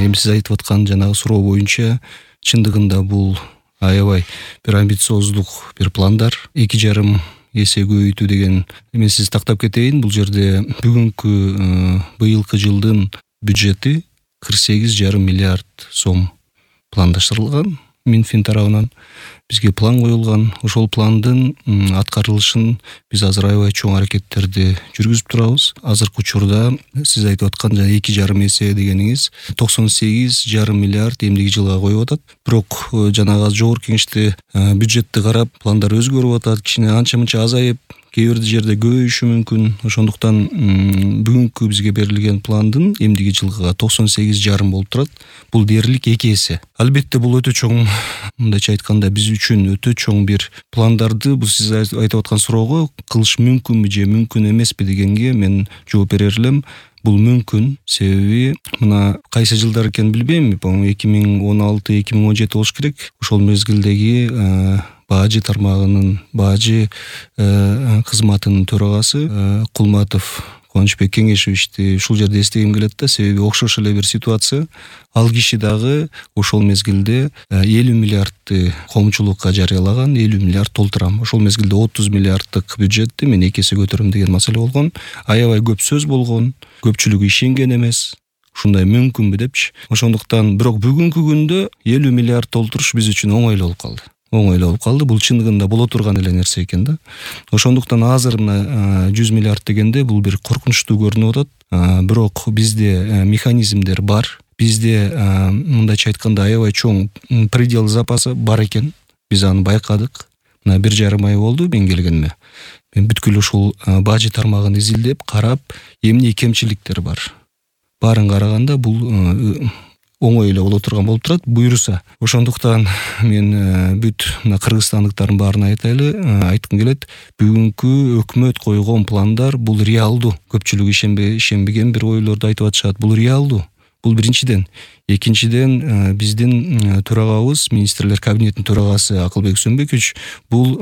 Эми сиз айтып аткан жанагы суроо боюнча чындыгында бул аябай бир амбициоздук бир пландар. 2,5 эсе көбөйтүү деген. Мен сиз тактап кетейин. Бул жерде бүгүнкү быйылкы жылдын бюджети 48,5 миллиард сом пландаштырылган. Минфин тарабынан бизге план коюлган. Ошол пландын аткарылышын биз азыр аябай чоң аракеттерди жүргүзүп турабыз. Азыркы учурда сиз айтып аткан жана 2,5 эсе дегениңиз 98,5 миллиард эмдиги жылга коюп атат. Бирок жанагы жогорку кеңеште бюджетти карап пландар өзгөрүп атат. Кичине анча-мынча азайып, кээ бир жерде көбөйүшү мүмкүн. Ошондуктан бүгүнкү бизге берилген пландын эмдиги жылга 98,5 болуп турат. Бул дээрлик 2 эсе. Албетте бул өтө чоң, мындайча айтканда, биз үчүн өтө чоң бир пландарды бул сиз айтып аткан суроого кылыш мүмкүнбү же мүмкүн эмеспи дегенге мен жооп берер элем. Бул мүмкүн. Себеби мына кайсы жылдар экенин билбейм. 2016-2017 болуш керек. Ошол мезгилдеги бажы тармагынын бажы кызматынын төрагасы Кулматов Кубанычбек Кеңешевичти ушул жерде эстегим келет да, себеби окшош эле бир ситуация. Ал киши дагы ошол мезгилде 50 миллиардты коомчулукка жарыялаган, 50 миллиард толтурам. Ошол мезгилде 30 миллиарддык бюджетти мен 2 эсе көтөрөм деген маселе болгон. Аябай көп сөз болгон, көпчүлүгү ишенген эмес. Ушундай мүмкүнбү депчи. Ошондуктан бирок бүгүнкү күндө 50 миллиард толтуруш биз үчүн оңой эле болуп калды. Бул чындыгында боло турган эле нерсе экен да. Ошондуктан азыр мына 100 миллиард дегенде бул бир коркунучтуу көрүнүп атат. Бирок бизде механизмдер бар. Бизде мындайча айтканда аябай чоң предел запасы бар экен. Биз аны байкадык. Мына 1,5 ай болду мен келгениме. Мен бүткүл ушул бажы тармагын изилдеп, карап, эмне кемчиликтер бар. Барын караганда бул оңой эле боло турган болуп турат, буйруса. Ошондуктан мен бүт мына кыргызстандыктардын баарына айткым келет. Бүгүнкү өкмөт койгон пландар бул реалдуу. Көпчүлүк ишенбеген бир ойлорду айтып атышат. Бул реалдуу. Бул биринчиден. Экинчиден, биздин төрагабыз, министрлер кабинетинин төрагасы Акылбек Сөнбекович бул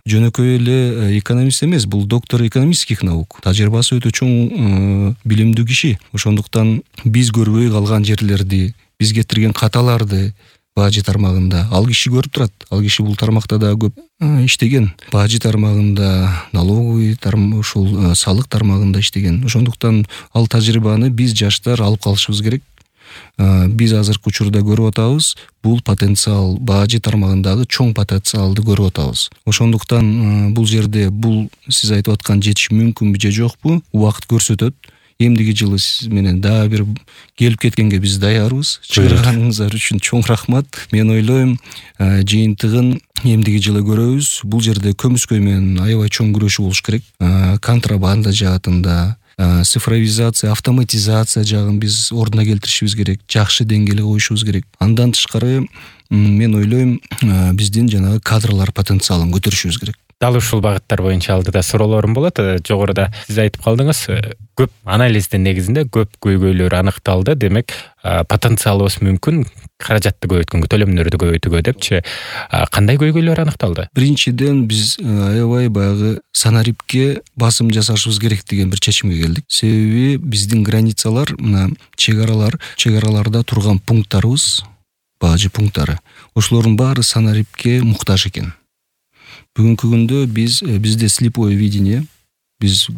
жөнөкөй эле экономист эмес, бул доктор экономических наук. Тажрыйбасы өтө чоң билимдүү киши. Ошондуктан биз көрбөй калган жерлерди, биз кетирген каталарды бажы тармагында ал киши көрүп турат. Ал киши бул тармакта да көп иштеген. Бажы тармагында, налоговый ушул салык тармагында иштеген. Ошондуктан ал тажрыйбаны биз жаштар алып калышыбыз керек. Биз азыркы учурда көрүп атабыз, бул потенциал бажы тармагындагы чоң потенциалды көрүп атабыз. Ошондуктан бул жерде бул сиз айтып аткан жетиш мүмкүнбү же жокпу, убакыт көрсөтөт. Эмдиги жылы сиз менен дагы бир келип кеткенге биз даярбыз. Чыгарганыңыздар үчүн чоң рахмат. Мен ойлойм, жыйынтыгын эмдиги жылы көрөбүз. Бул жерде көмүскөй менен аябай чоң күрөшүү болуш керек. Контрабанда жаатында, цифровизация, автоматизация жагын биз ордуна келтиришибиз керек. Жакшы деңгээлге коюшубуз керек. Андан тышкары мен ойлойм, биздин жанагы кадрлар потенциалын көтөрүшүбүз керек. Дал ушул багыттар боюнча алдыда суроолорум болот. Жогоруда сиз айтып калдыңыз, көп анализдин негизинде көп көйгөйлөр аныкталды. Демек, потенциалыбыз мүмкүн каражатты көбөйткөнгө, төлөмдөрдү көбөйтүүгө депчи. Кандай көйгөйлөр аныкталды? Биринчиден, биз аябай баягы санарипке басым жасашыбыз керек деген бир чечимге келдик. Себеби биздин границалар, мына чегараларда турган пункттарыбыз, бажы пункттары, ошолордун баары санарипке муктаж экен. Бүгүнкү күндө бизде слепое видение, биз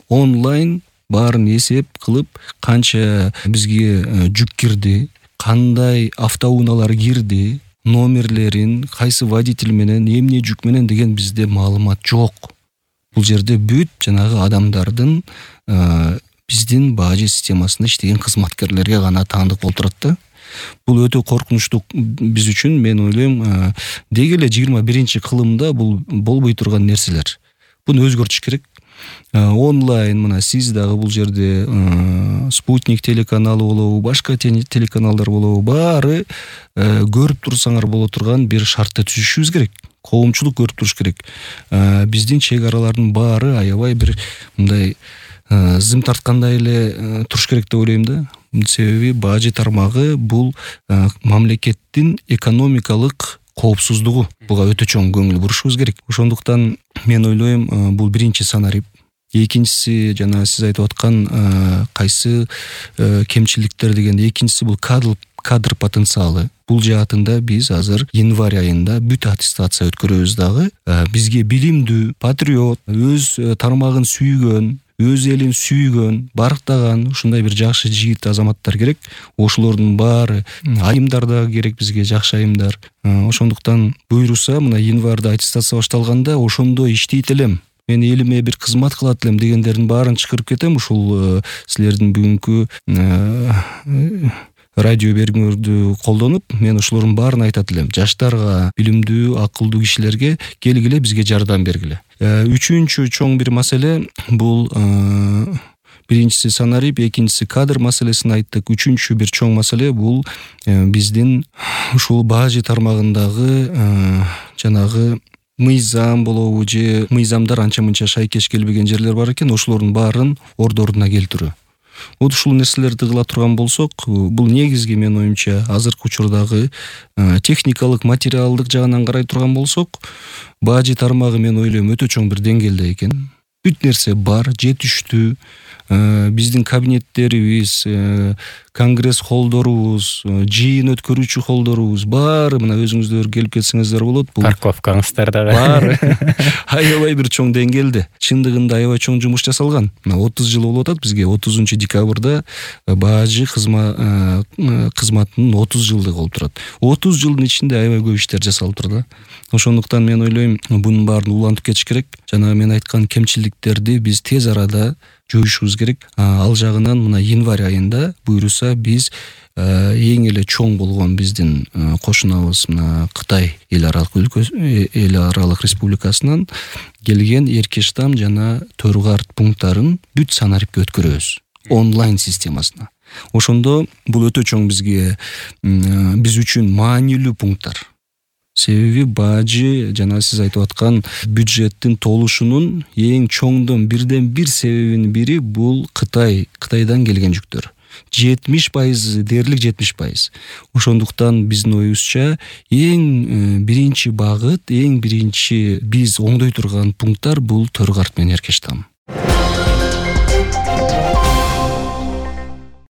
онлайн баарын эсеп кылып, канча бизге жүк кирди, кандай автоунаалар кирди, номерлерин, кайсы водитель менен, эмне жүк менен деген бизде маалымат жок. Бул жерде бүт жанагы адамдардын биздин бажы системасында иштеген кызматкерлерге гана таандык болуп турат да. Бул өтө коркунучтуу биз үчүн. Мен ойлойм, деги эле 21-кылымда бул болбой турган нерселер. Буну өзгөртүш керек. Онлайн мына сиз дагы бул жерде Спутник телеканалы болобу, башка телеканалдар болобу, баары көрүп турсаңар боло турган бир шартты түзүшүбүз керек. Коомчулук көрүп туруш керек. Биздин чек аралардын баары аябай бир мындай зым тарткандай эле туруш керек деп ойлойм да. Себеби бажы тармагы бул мамлекеттин экономикалык коопсуздугу. Буга өтө чоң көңүл бурушубуз керек. Ошондуктан мен ойлойм, бул биринчи санарип. Экинчиси, жана сиз айтып аткан кайсы кемчиликтер дегенде, экинчиси бул кадр потенциалы. Бул жаатында биз азыр январь айында бүт аттестация өткөрөбүз дагы. Бизге билимдүү, патриот, өз тармагын сүйгөн, өз элин сүйгөн, барктаган ушундай бир жакшы жигит азаматтар керек. Ошолордун баары айымдар да керек бизге, жакшы айымдар. Ошондуктан буйруса мына январда аттестация башталганда ошондой иштейт элем, мен элиме бир кызмат кылат элем дегендердин баарын чакырып кетем. Ушул силердин бүгүнкү радио берүүңөрдү колдонуп, мен ошолордун баарын айтат элем. Жаштарга, билимдүү, акылдуу кишилерге келгиле, бизге жардам бергиле. Үчүнчү чоң бир маселе бул биринчиси санарип, экинчиси кадр маселесин айттык. Үчүнчү бир чоң маселе бул биздин ушул бажы тармагындагы жанагы мыйзам болобу же мыйзамдар анча-мынча шайкеш келбеген жерлер бар экен, ошолордун баарын ордуна келтирүү. Вот ушул нерселерди кыла турган болсок, бул негизги менин оюмча азыркы учурдагы техникалык, материалдык жагынан карай турган болсок, бажы тармагы мен ойлойм өтө чоң бир деңгээлде экен. Бүт нерсе бар, жетиштүү. Биздин кабинеттерибиз, конгресс холдорубуз, жыйын өткөрүүчү холдорубуз баары мына өзүңүздөр келип кетсеңиздер болот. Бул парковкаңыздар дагы бар. Аябай бир чоң деңгээлде, чындыгында аябай чоң жумуш жасалган. Мына 30 жыл болуп атат бизге. 30-декабрда бажы кызматынын 30 жылдыгы болуп турат. 30 жылдын ичинде аябай көп иштер жасалып турат. Ошондуктан мен ойлойм, бунун баарын улантып кетиш керек. Жана мен айткан кемчиликтерди биз тез арада жоюшубуз керек. Ал жагынан мына январь айында буйруса биз эң эле чоң болгон биздин кошунабыз мына Кытай эл аралык республикасынан келген Эркештам жана Төргарт пункттарын бүт санарипке өткөрөбүз онлайн системасына. Ошондо бул өтө чоң бизге биз үчүн маанилүү пункттар. Себеби бажы жана сиз айтып аткан бюджеттин толушунун эң чоңдон бирден бир себебинин бири бул Кытайдан келген жүктөр. 70% дээрлик 70%. Ошондуктан биздин оюбузча эң биринчи багыт, эң биринчи биз оңдой турган пункттар бул Төргарт менен Эркештам.